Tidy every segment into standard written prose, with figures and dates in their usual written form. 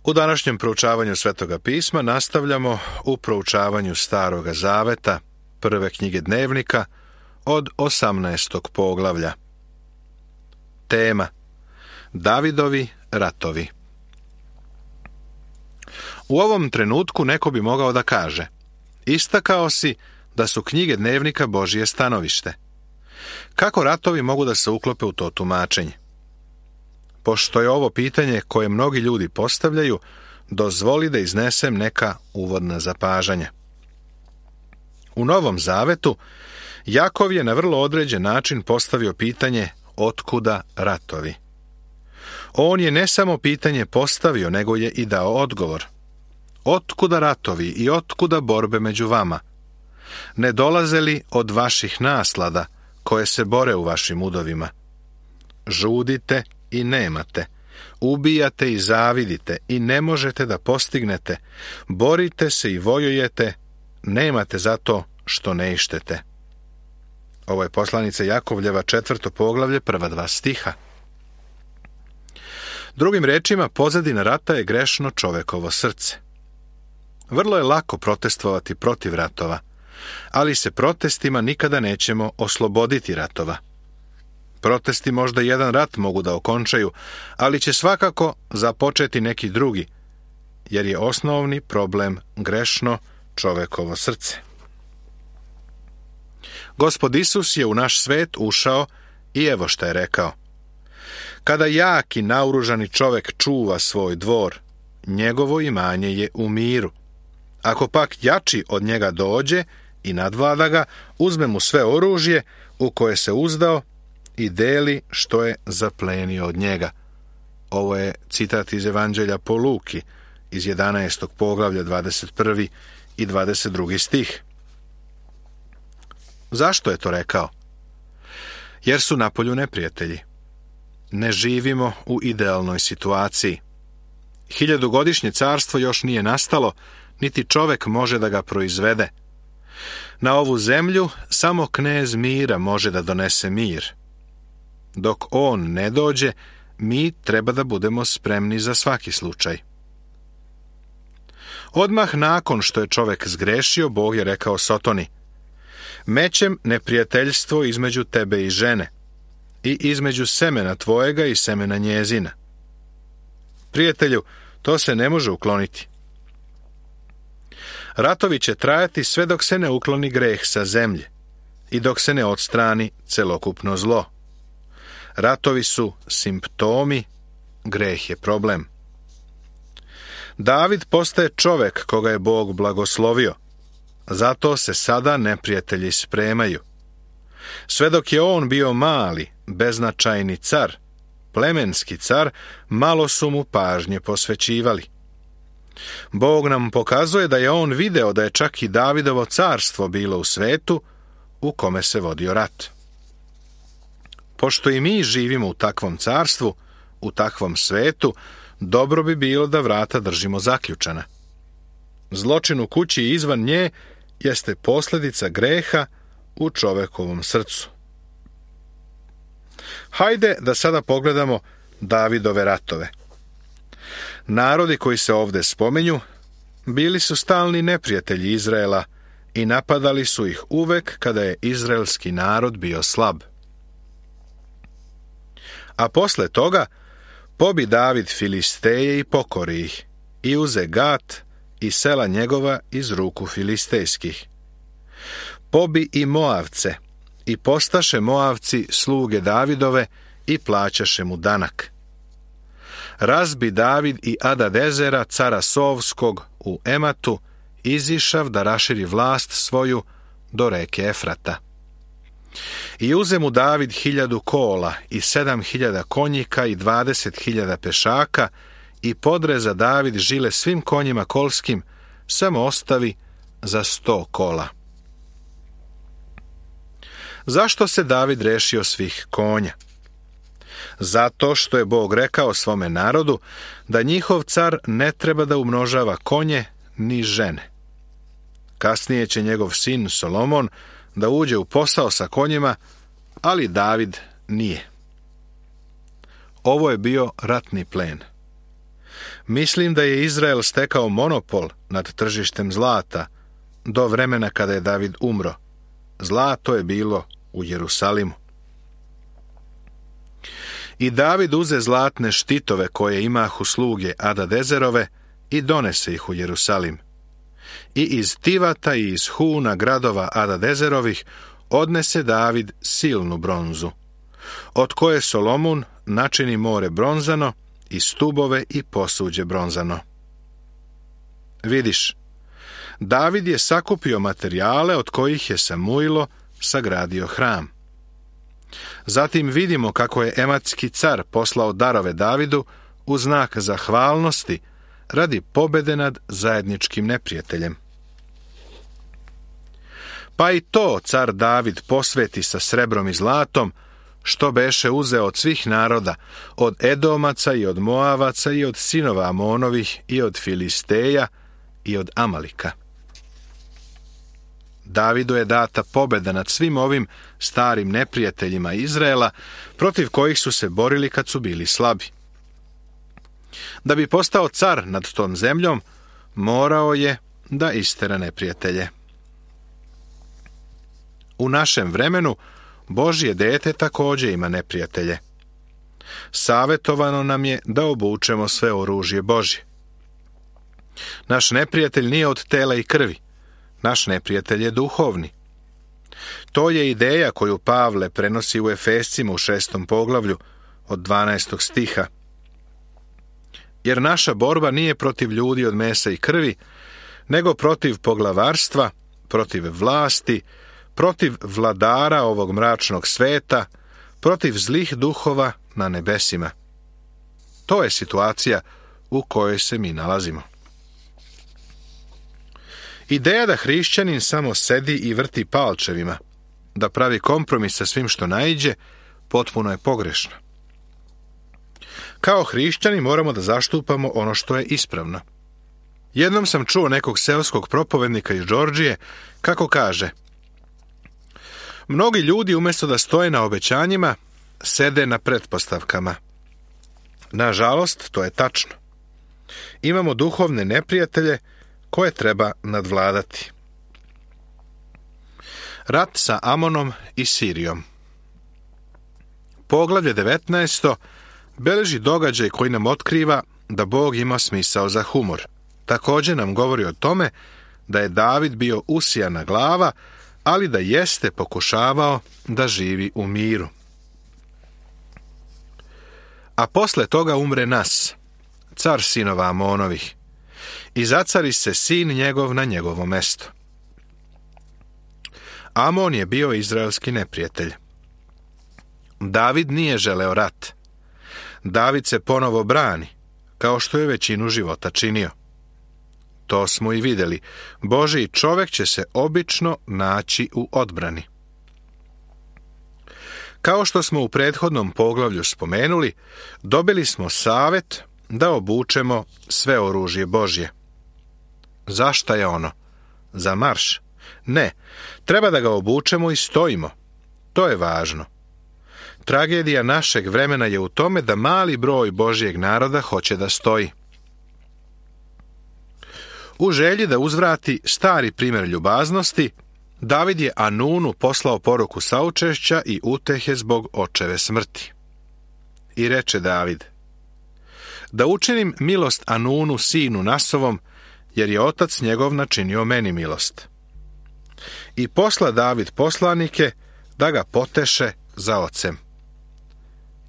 U današnjem proučavanju Svetoga pisma nastavljamo u proučavanju Staroga zaveta, prve knjige Dnevnika, od 18. poglavlja. Tema: Davidovi ratovi. U ovom trenutku neko bi mogao da kaže: istakao si da su knjige Dnevnika Božje stanovište. Kako ratovi mogu da se uklope u to tumačenje? Pošto je ovo pitanje koje mnogi ljudi postavljaju, dozvoli da iznesem neka uvodna zapažanja. U Novom Zavetu Jakov je na vrlo određen način postavio pitanje otkuda ratovi. On je ne samo pitanje postavio, nego je i dao odgovor. Otkuda ratovi i otkuda borbe među vama? Ne dolaze li od vaših naslada koje se bore u vašim udovima? Žudite i nemate, ubijate i zavidite i ne možete da postignete, borite se i vojujete, nemate zato što ne ištete. Ovo je poslanica Jakovljeva 4. poglavlje, prva 2 stiha. Drugim rečima, pozadina rata je grešno čovekovo srce. Vrlo je lako protestovati protiv ratova, ali se protestima nikada nećemo osloboditi ratova. Protesti možda jedan rat mogu da okončaju, ali će svakako započeti neki drugi, jer je osnovni problem grešno čovekovo srce. Gospod Isus je u naš svet ušao i evo šta je rekao: kada jak i naoružani čovek čuva svoj dvor, njegovo imanje je u miru. Ako pak jači od njega dođe i nadvlada ga, uzme mu sve oružje u koje se uzdao i deli što je zaplenio od njega. Ovo je citat iz Evanđelja po Luki, iz 11. poglavlja 21. i 22. stih. Zašto je to rekao? Jer su napolju neprijatelji. Ne živimo u idealnoj situaciji. 1000-godišnje carstvo još nije nastalo, niti čovek može da ga proizvede. Na ovu zemlju samo knez mira može da donese mir. Dok on ne dođe, mi treba da budemo spremni za svaki slučaj. Odmah nakon što je čovek zgrešio, Bog je rekao Sotoni: mećem neprijateljstvo između tebe i žene, i između semena tvojega i semena njezina. Prijatelju, to se ne može ukloniti. Ratovi će trajati sve dok se ne ukloni greh sa zemlje i dok se ne odstrani celokupno zlo. Ratovi su simptomi, greh je problem. David postaje čovek koga je Bog blagoslovio, zato se sada neprijatelji spremaju. Sve dok je on bio mali, beznačajni car, plemenski car, malo su mu pažnje posvećivali. Bog nam pokazuje da je on video da je čak i Davidovo carstvo bilo u svetu u kome se vodio rat. Pošto i mi živimo u takvom carstvu, u takvom svetu, dobro bi bilo da vrata držimo zaključana. Zločin u kući i izvan nje jeste posljedica greha u čovekovom srcu. Hajde da sada pogledamo Davidove ratove. Narodi koji se ovdje spominju bili su stalni neprijatelji Izraela i napadali su ih uvek kada je izraelski narod bio slab. A posle toga pobi David Filisteje i pokori ih i uze Gat i sela njegova iz ruku filistejskih. Pobi i Moavce i postaše Moavci sluge Davidove i plaćaše mu danak. Razbi David i Adadezera, cara Sovskog, u Ematu, izišav da raširi vlast svoju do reke Efrata. I uze mu David 1000 kola i 7000 konjika i 20.000 pešaka i podreza David žile svim konjima kolskim, samo ostavi za 100 kola. Zašto se David rešio svih konja? Zato što je Bog rekao svome narodu da njihov car ne treba da umnožava konje ni žene. Kasnije će njegov sin Solomon da uđe u posao sa konjima, ali David nije. Ovo je bio ratni plen. Mislim da je Izrael stekao monopol nad tržištem zlata do vremena kada je David umro. Zlato je bilo u Jerusalimu. I David uze zlatne štitove koje imahu sluge Adadezerove i donese ih u Jerusalim. I iz Tivata i iz Huna gradova Adadezerovih odnese David silnu bronzu, od koje Solomun načini more bronzano i stubove i posuđe bronzano. Vidiš, David je sakupio materijale od kojih je Samuilo sagradio hram. Zatim vidimo kako je ematski car poslao darove Davidu u znak zahvalnosti radi pobede nad zajedničkim neprijateljem. Pa i to car David posveti sa srebrom i zlatom, što beše uzeo od svih naroda, od Edomaca i od Moavaca i od sinova Amonovih i od Filisteja i od Amalika. Davidu je data pobeda nad svim ovim starim neprijateljima Izraela, protiv kojih su se borili kad su bili slabi. Da bi postao car nad tom zemljom, morao je da istera neprijatelje. U našem vremenu Božje dete također ima neprijatelje. Savetovano nam je da obučemo sve oružje Božje. Naš neprijatelj nije od tela i krvi. Naš neprijatelj je duhovni. To je ideja koju Pavle prenosi u Efescima u 6. poglavlju od 12. stiha. Jer naša borba nije protiv ljudi od mesa i krvi, nego protiv poglavarstva, protiv vlasti, protiv vladara ovog mračnog sveta, protiv zlih duhova na nebesima. To je situacija u kojoj se mi nalazimo. Ideja da hrišćanin samo sedi i vrti palčevima, da pravi kompromis sa svim što naiđe, potpuno je pogrešna. Kao hrišćani moramo da zaštupamo ono što je ispravno. Jednom sam čuo nekog seoskog propovednika iz Džordžije kako kaže: mnogi ljudi umjesto da stoje na obećanjima, sede na pretpostavkama. Nažalost, to je tačno. Imamo duhovne neprijatelje koje treba nadvladati. Rat sa Amonom i Sirijom. Poglavlje 19. beleži događaj koji nam otkriva da Bog ima smisao za humor. Također nam govori o tome da je David bio usijana glava, ali da jeste pokušavao da živi u miru. A posle toga umre Nas, car sinova Amonovih, i zacari se sin njegov na njegovo mesto. Amon je bio izraelski neprijatelj. David nije želeo rat. David se ponovo brani, kao što je većinu života činio. To smo i vidjeli. Božji čovjek će se obično naći u odbrani. Kao što smo u prethodnom poglavlju spomenuli, dobili smo savjet da obučemo sve oružje Božje. Zašta je ono? Za marš? Ne, treba da ga obučemo i stojimo. To je važno. Tragedija našeg vremena je u tome da mali broj Božjeg naroda hoće da stoji. U želji da uzvrati stari primjer ljubaznosti, David je Anunu poslao poruku saučešća i utehe zbog očeve smrti. I reče David: da učinim milost Anunu sinu Nasovom, jer je otac njegov načinio meni milost. I posla David poslanike da ga poteše za ocem.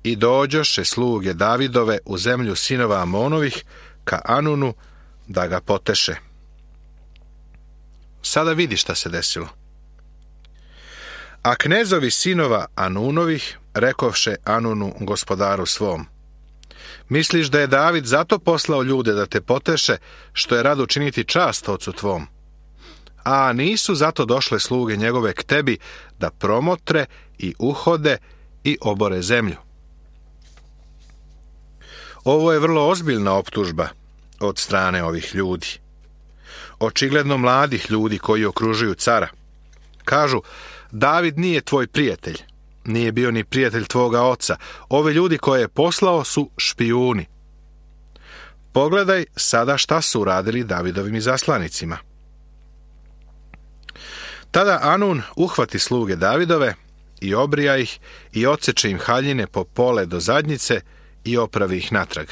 I dođoše sluge Davidove u zemlju sinova Amonovih ka Anunu da ga poteše. Sada vidi šta se desilo. A knezovi sinova Anunovih rekovše Anunu gospodaru svom: misliš da je David zato poslao ljude da te poteše, što je rado učiniti čast ocu tvom? A nisu zato došle sluge njegove k tebi da promotre i uhode i obore zemlju. Ovo je vrlo ozbiljna optužba od strane ovih ljudi. Očigledno mladih ljudi koji okružuju cara. Kažu: David nije tvoj prijatelj. Nije bio ni prijatelj tvoga oca. Ovi ljudi koje je poslao su špijuni. Pogledaj sada šta su uradili Davidovim izaslanicima. Tada Anun uhvati sluge Davidove i obrija ih i odseče im haljine po pole do zadnjice i opravi ih natrag.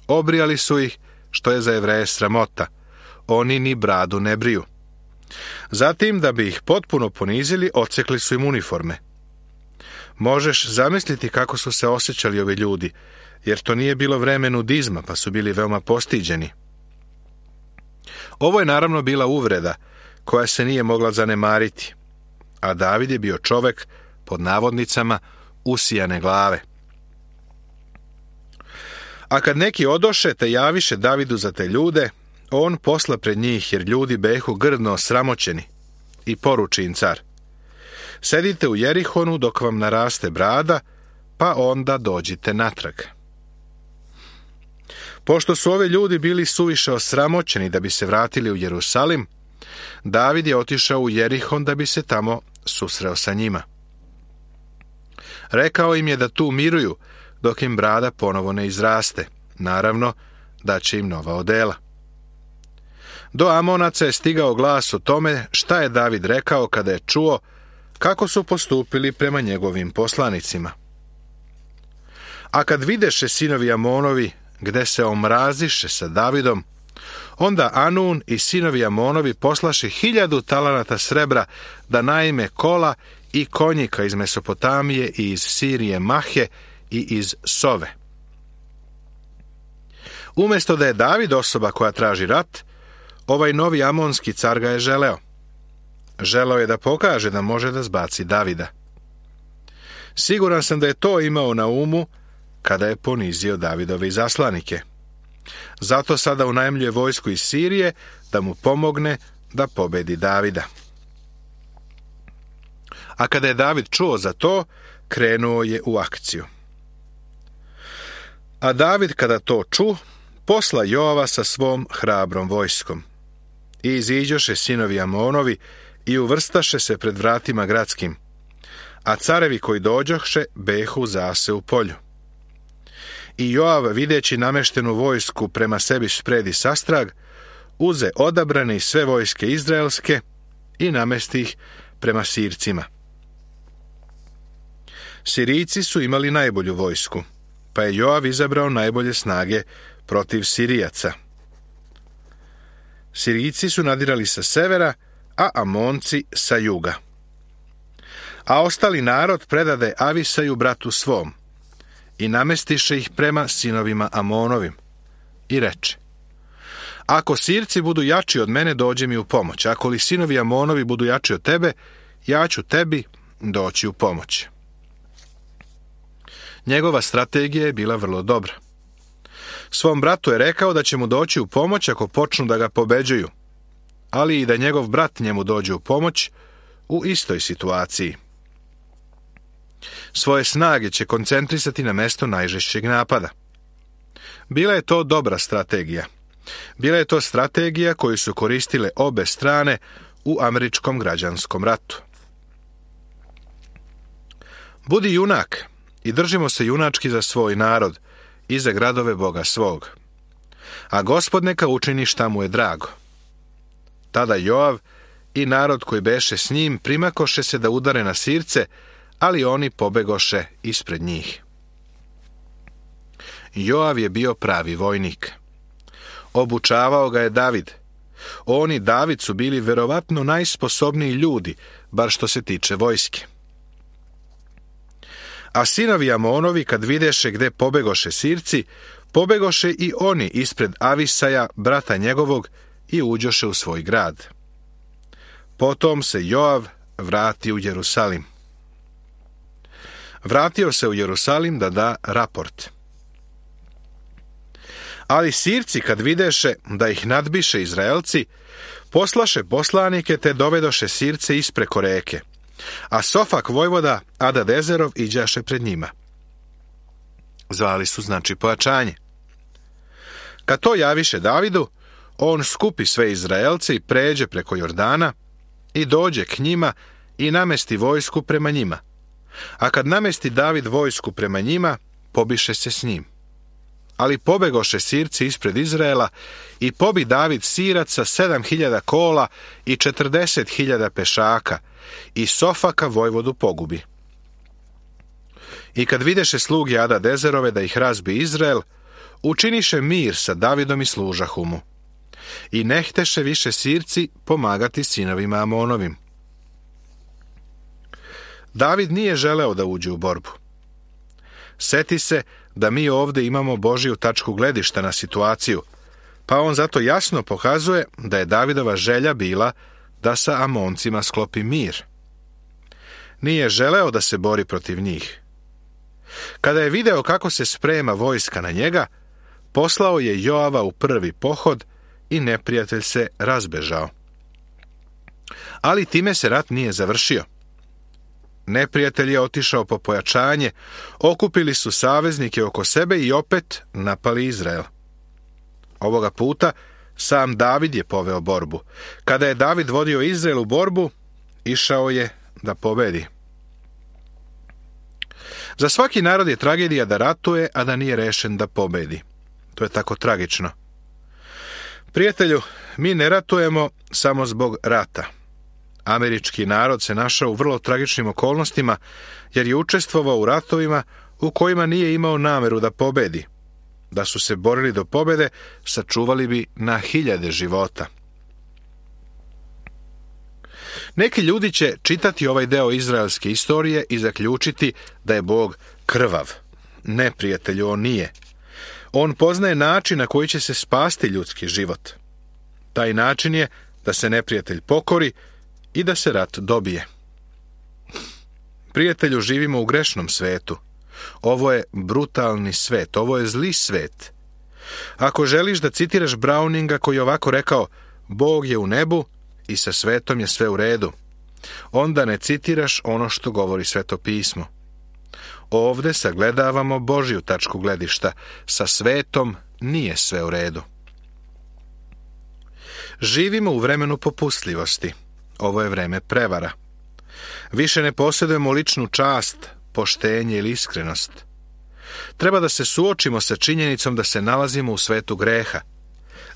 Obrijali su ih, što je za Jevreje sramota. Oni ni bradu ne briju. Zatim, da bi ih potpuno ponizili, odsekli su im uniforme. Možeš zamisliti kako su se osjećali ovi ljudi, jer to nije bilo vreme nudizma, pa su bili veoma postiđeni. Ovo je naravno bila uvreda, koja se nije mogla zanemariti, a David je bio čovek, pod navodnicama, usijane glave. A kad neki odoše te javiše Davidu za te ljude, on posla pred njih, jer ljudi behu grdno osramoćeni, i poruči im car: sedite u Jerihonu dok vam naraste brada, pa onda dođite natrag. Pošto su ovi ljudi bili suviše osramoćeni da bi se vratili u Jerusalim, David je otišao u Jerihon da bi se tamo susreo sa njima. Rekao im je da tu miruju dok im brada ponovo ne izraste, naravno da će im nova odela. Do Amonaca je stigao glas o tome šta je David rekao kada je čuo kako su postupili prema njegovim poslanicima. A kad videše sinovi Amonovi gde se omraziše sa Davidom, onda Anun i sinovi Amonovi poslaše 1000 talanata srebra da najme kola i konjika iz Mesopotamije i iz Sirije Mahe i iz Sove. Umjesto da je David osoba koja traži rat, ovaj novi amonski car ga je želeo. Želeo je da pokaže da može da zbaci Davida. Siguran sam da je to imao na umu kada je ponizio Davidove izaslanike. Zato sada unajmljuje vojsku iz Sirije da mu pomogne da pobedi Davida. A kada je David čuo za to, krenuo je u akciju. A David kada to ču, posla Joava sa svom hrabrom vojskom. I iziđoše sinovi Amonovi i uvrstaše se pred vratima gradskim, a carevi koji dođoše behu zase u polju. I Joav, videći nameštenu vojsku prema sebi spredi sastrag, uze odabrane i sve vojske izraelske i namesti ih prema Sircima. Sirijci su imali najbolju vojsku, pa je Joav izabrao najbolje snage protiv Sirijaca. Sirijci su nadirali sa severa, a Amonci sa juga. A ostali narod predade Avisaju bratu svom i namestiše ih prema sinovima Amonovim i reče: ako Sirci budu jači od mene, dođe mi u pomoć. Ako li sinovi Amonovi budu jači od tebe, ja ću tebi doći u pomoć. Njegova strategija je bila vrlo dobra. Svom bratu je rekao da će mu doći u pomoć ako počnu da ga pobeđuju, ali i da njegov brat njemu dođe u pomoć u istoj situaciji. Svoje snage će koncentrisati na mesto najžešćeg napada. Bila je to dobra strategija. Bila je to strategija koju su koristile obe strane u američkom građanskom ratu. Budi junak i držimo se junački za svoj narod i za gradove Boga svog. A Gospod neka učini šta mu je drago. Tada Joav i narod koji beše s njim primakoše se da udare na Sirce, ali oni pobegoše ispred njih. Joav je bio pravi vojnik. Obučavao ga je David. On i David su bili verovatno najsposobniji ljudi, bar što se tiče vojske. A sinovi Amonovi, kad videše gde pobegoše Sirci, pobegoše i oni ispred Avisaja, brata njegovog, i uđoše u svoj grad. Potom se Joav vratio u Jerusalim. Vratio se u Jerusalim da da raport. Ali Sirci, kad videše da ih nadbiše Izraelci, poslaše poslanike te dovedoše Sirce ispreko reke, a Sofak vojvoda Adadezerov iđaše pred njima. Zvali su znači pojačanje. Kad to javiše Davidu, on skupi sve Izraelce i pređe preko Jordana i dođe k njima i namesti vojsku prema njima. A kad namesti David vojsku prema njima, pobiše se s njim. Ali pobegoše Sirci ispred Izraela i pobi David Siraca 7.000 kola i 40.000 pešaka i Sofaka vojvodu pogubi. I kad videše sluge Adadezerove da ih razbi Izrael, učiniše mir sa Davidom i služahu mu. I ne hteše više Sirci pomagati sinovima Amonovim. David nije želeo da uđe u borbu. Seti se da mi ovdje imamo Božju tačku gledišta na situaciju, pa on zato jasno pokazuje da je Davidova želja bila da sa Amoncima sklopi mir. Nije želeo da se bori protiv njih. Kada je video kako se sprema vojska na njega, poslao je Joava u prvi pohod i neprijatelj se razbežao. Ali time se rat nije završio. Neprijatelj je otišao po pojačanje, okupili su saveznike oko sebe i opet napali Izrael. Ovoga puta sam David je poveo borbu. Kada je David vodio Izrael u borbu, išao je da pobedi. Za svaki narod je tragedija da ratuje, a da nije rešen da pobedi. To je tako tragično. Prijatelju, mi ne ratujemo samo zbog rata. Američki narod se našao u vrlo tragičnim okolnostima, jer je učestvovao u ratovima u kojima nije imao nameru da pobedi. Da su se borili do pobede, sačuvali bi na 1000 života. Neki ljudi će čitati ovaj deo izraelske istorije i zaključiti da je Bog krvav. Neprijatelju on nije. On poznaje način na koji će se spasti ljudski život. Taj način je da se neprijatelj pokori i da se rat dobije. Prijatelju, živimo u grešnom svetu. Ovo je brutalni svet, ovo je zli svet. Ako želiš da citiraš Browninga koji je ovako rekao, Bog je u nebu i sa svetom je sve u redu, onda ne citiraš ono što govori Sveto pismo. Ovde sagledavamo Božju tačku gledišta, sa svetom nije sve u redu. Živimo u vremenu popustljivosti. Ovo je vreme prevara. Više ne posjedujemo ličnu čast, poštenje ili iskrenost. Treba da se suočimo sa činjenicom da se nalazimo u svetu greha.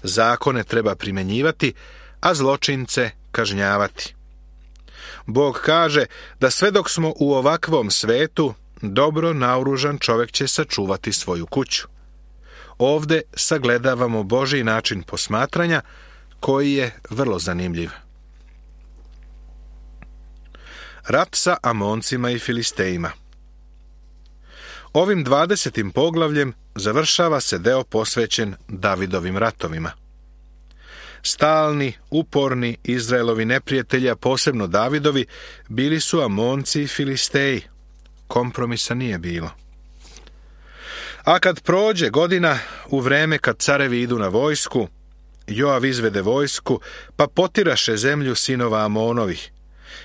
Zakone treba primjenjivati, a zločince kažnjavati. Bog kaže da sve dok smo u ovakvom svetu, dobro naoružan čovjek će sačuvati svoju kuću. Ovde sagledavamo Božji način posmatranja, koji je vrlo zanimljiv. Rat sa Amoncima i Filistejima. Ovim 20. poglavljem završava se deo posvećen Davidovim ratovima. Stalni, uporni Izraelovi neprijatelji, a posebno Davidovi, bili su Amonci i Filisteji. Kompromisa nije bilo. A kad prođe godina, u vreme kad carevi idu na vojsku, Joav izvede vojsku, pa potiraše zemlju sinova Amonovih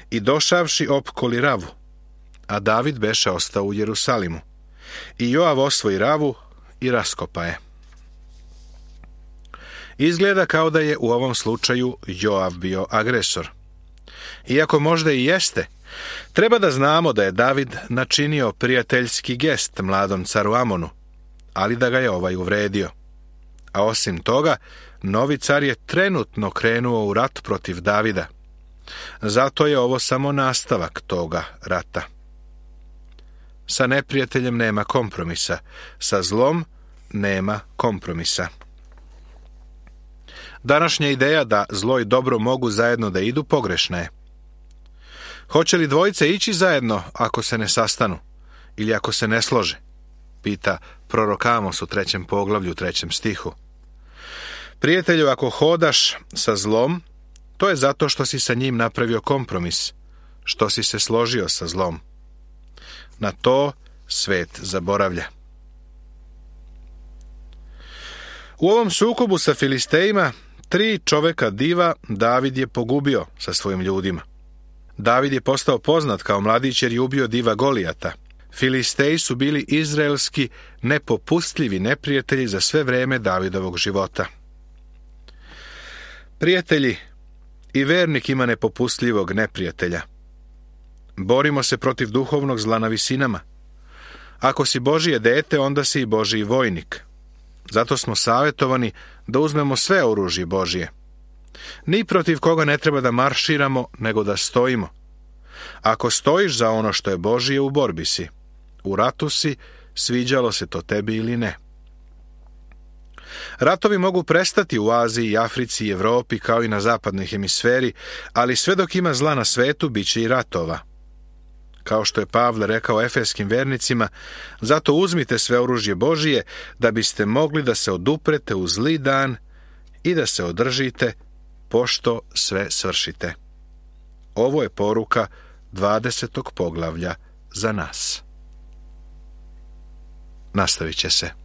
i došavši opkoli Ravu, a David beše ostao u Jerusalimu. I Joav osvoji Ravu i raskopa je. Izgleda kao da je u ovom slučaju Joav bio agresor. Iako možda i jeste, treba da znamo da je David načinio prijateljski gest mladom caru Amonu, ali da ga je ovaj uvredio. A osim toga, novi car je trenutno krenuo u rat protiv Davida. Zato je ovo samo nastavak toga rata. Sa neprijateljem nema kompromisa, sa zlom nema kompromisa. Današnja ideja da zlo i dobro mogu zajedno da idu pogrešna je. Hoće li dvojice ići zajedno ako se ne sastanu ili ako se ne slože? Pita prorok Amos u 3. poglavlju 3. stihu. Prijatelju, ako hodaš sa zlom, to je zato što si sa njim napravio kompromis, što si se složio sa zlom. Na to svet zaboravlja. U ovom sukobu sa Filistejima 3 čoveka diva David je pogubio sa svojim ljudima. David je postao poznat kao mladić jer je ubio diva Golijata. Filisteji su bili izraelski nepopustljivi neprijatelji za sve vreme Davidovog života. Prijatelji, i vernik ima nepopustljivog neprijatelja. Borimo se protiv duhovnog zla na visinama. Ako si Božije dete, onda si i Božji vojnik. Zato smo savjetovani da uzmemo sve oružje Božje. Ni protiv koga ne treba da marširamo, nego da stojimo. Ako stojiš za ono što je Božje, u borbi si. U ratu si, sviđalo se to tebi ili ne. Ratovi mogu prestati u Aziji, Africi i Evropi kao i na zapadnoj hemisferi, ali sve dok ima zla na svetu, bit će i ratova. Kao što je Pavle rekao efeskim vernicima, zato uzmite sve oružje Božije da biste mogli da se oduprete u zli dan i da se održite pošto sve svršite. Ovo je poruka 20. poglavlja za nas. Nastavit će se.